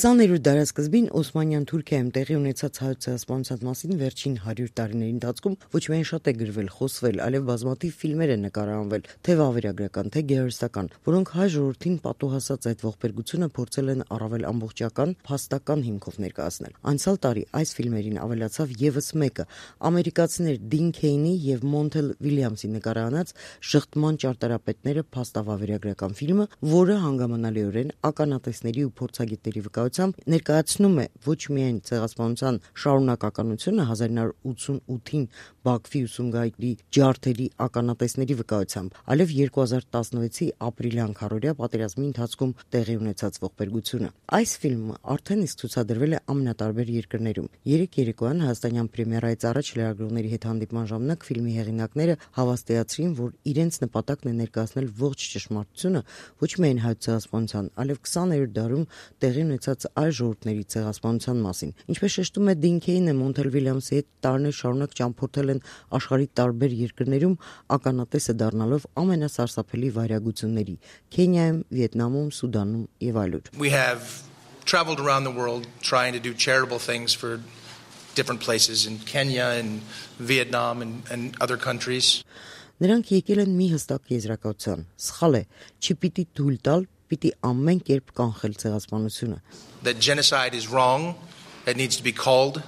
20-րդ դարասկզբին Օսմանյան Թուրքիայում տեղի ունեցած հայոց ցեղասպանության մասին վերջին 100 տարիների ընթացքում ոչ միայն շատ է գրվել, խոսվել, այլև բազմաթիվ ֆիլմեր են նկարահանվել, թե վավերագրական, թե գեղարվեստական, որոնք հայ ժողովրդին պատուհասած այդ ողբերգությունը փորձել են առավել ամբողջական, փաստական հիմքով ներկայացնել։ Անցյալ տարի այս ֆիլմերին ավելացավ եւս մեկը՝ ամերիկացիներ Դին Քեյնի եւ Մոնթել Վիլյամսի նկարահանած «Շղթման ճարտարապետները» փաստավավերագրական ֆիլմը, որը հանգամանալիորեն ականատեսների ու փորձագետների վկայությամբ ներկայացնում է ոչ միայն ցեղասպանության շարունակականությունը 1988-ին Բաքվի ուսումգայքի ջարդերի ականատեսների վկայությամբ, այլև 2016-ի ապրիլյան քառօրյա պատերազմի ընթացքում տեղի ունեցած ողբերգությունը։ Այս ֆիլմը արդեն իսկ ցուցադրվել է ամենատարբեր երկրներում։ Երեկ երեկոյան հայաստանյան պրեմիերայից առաջ լրագրողների հետ հանդիպման ժամանակ ֆիլմի հեղինակները հավաստիացրին, որ իրենց նպատակն է ներկայացնել ողջ ճշմարտությունը ոչ միայն հայոց ցեղասպանության, այլև 20-րդ դարում տեղի ունեցած այլ ժողովուրդների ցեղասպանության մասին։ Ինչպես շեշտում է Դին Քեյնը, Մոնթել Վիլյամսի հետ տարիներ շարունակ ճամփորդել են աշխարհի տարբեր երկրներում, ականատեսը դառնալով ամենասարսափելի վայրագությունների՝ Քենիայում, Վիետնամում, Սուդանում եւ այլուր։ We have traveled around the world trying to do charitable things for different places in Kenya and Vietnam and other countries. Նրանք եկել են մի հստակ եզրակացության՝ սխալ է, չպիտի թույլ տալ, պիտի ամեն կերպ կանխել ցեղասպանությունը։ That genocide is wrong, it needs to be called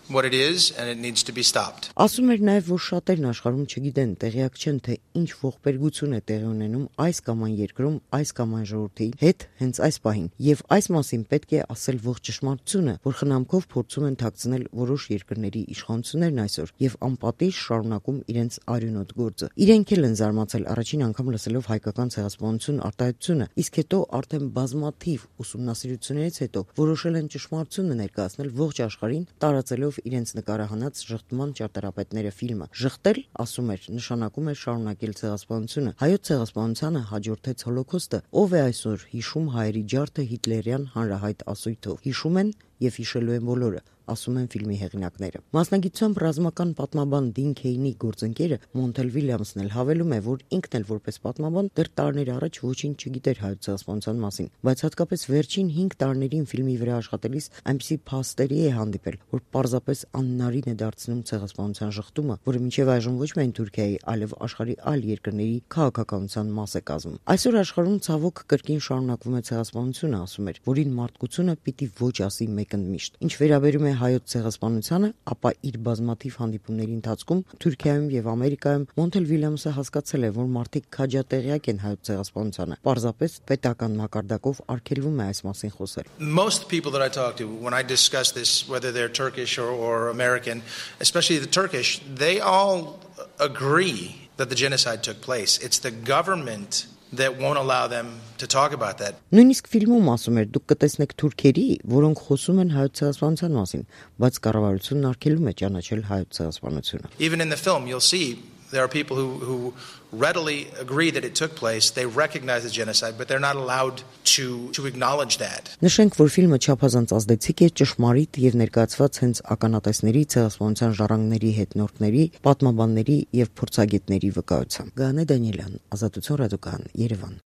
what it is and it needs to be stopped. Ասում էր նաև, որ շատերն աշխարհում չգիտեն, տեղյակ չեն, թե ինչ ողբերգություն է տեղի ունենում այս կամ այն երկրում, այս կամ այն ժողովրդի հետ հենց այս պահին, եւ այս մասին պետք է ասել ողջ ճշմարտությունը, որ խնամքով փորձում են թաքցնել որոշ երկրների իշխանություններն այսօր եւ անպատիժ շարունակում իրենց արյունոտ գործը։ Իրենք էլ են զարմացել առաջին անգամ լսելով հայկական ցեղասպանություն արտահայտությունը, իսկ հետո արդեն բազմաթիվ ուսումնասիրություններից հետո որոշել են ճշմարտությունը ներկայացնել ողջ աշխարհին, տարածելով իրենց նկարահանած «Շղթման ճարտարապետները» ֆիլմը։ Ժխտել, ասում էր, նշանակում է շարունակել ցեղասպանությունը։ Հայոց ցեղասպանությանը հաջորդեց Հոլոքոստը, ով է այսօր հիշում հայերի ջարդը հիտլերյան հանրահայտ ասույթով։ Հիշում են եւ հիշելու են բոլորը, ասում են ֆիլմի հեղինակները։ Մասնագիտությամբ ռազմական պատմաբան Դին Քեյնի գործընկերը Մոնթել Վիլյամսն էլ հավելում է, որ ինքն էլ որպես պատմաբան դեռ տարիներ առաջ ոչինչ չգիտեր հայոց ցեղասպանության մասին, բայց հատկապես վերջին 5 տարիներին ֆիլմի վրա աշխատելիս այնպիսի փաստերի է հանդիպել, որ պարզապես անհնարին է դարձնում ցեղասպանության ժխտումը, որը մինչև այժմ ոչ միայն Թուրքիայի, այլև աշխարհի այլ երկրների քաղաքականության մաս է կազմում։ Այսօր աշխարհում ցավոք կրկին շարունակվում է ցեղասպանությունը, ասում էր, որին մարդկությունը պիտի ոչ ասի մեկընդմիշտ։ Ինչ վերաբերում է հայոց ցեղասպանությանը, ապա իր բազմաթիվ հանդիպումների ընթացքում Թուրքիայում եւ Ամերիկայում Մոնթել Վիլյամսը հասկացել է, որ մարդիկ քաջատեղյակ են հայոց ցեղասպանությանը, պարզապես պետական մակարդակով արգելվում է այս մասին խոսել։ Most people that I talk to when I discuss this, whether they're Turkish or American, especially the Turkish, they all agree that the genocide took place. It's the government that won't allow them to talk about that. Նույնիսկ ֆիլմում ասում էր, դուք կտեսնեք թուրքերի, որոնք խոսում են հայոց ցեղասպանության մասին, բայց կառավարությունն արգելում է ճանաչել հայոց ցեղասպանությունը։ Even in the film, you'll see there are people who readily agree that it took place. They recognize the genocide, but they're not allowed to acknowledge that. Նշենք, որ ֆիլմը չափազանց ազդեցիկ է, ճշմարիտ եւ ներկայացված հենց ականատեսների, ցեղասպանության ժառանգների, հետնորդների, պատմաբանների եւ փորձագետների վկայությամբ։ Գանե Դանիելյան, Ազատություն ռադիոկայան, Երևան։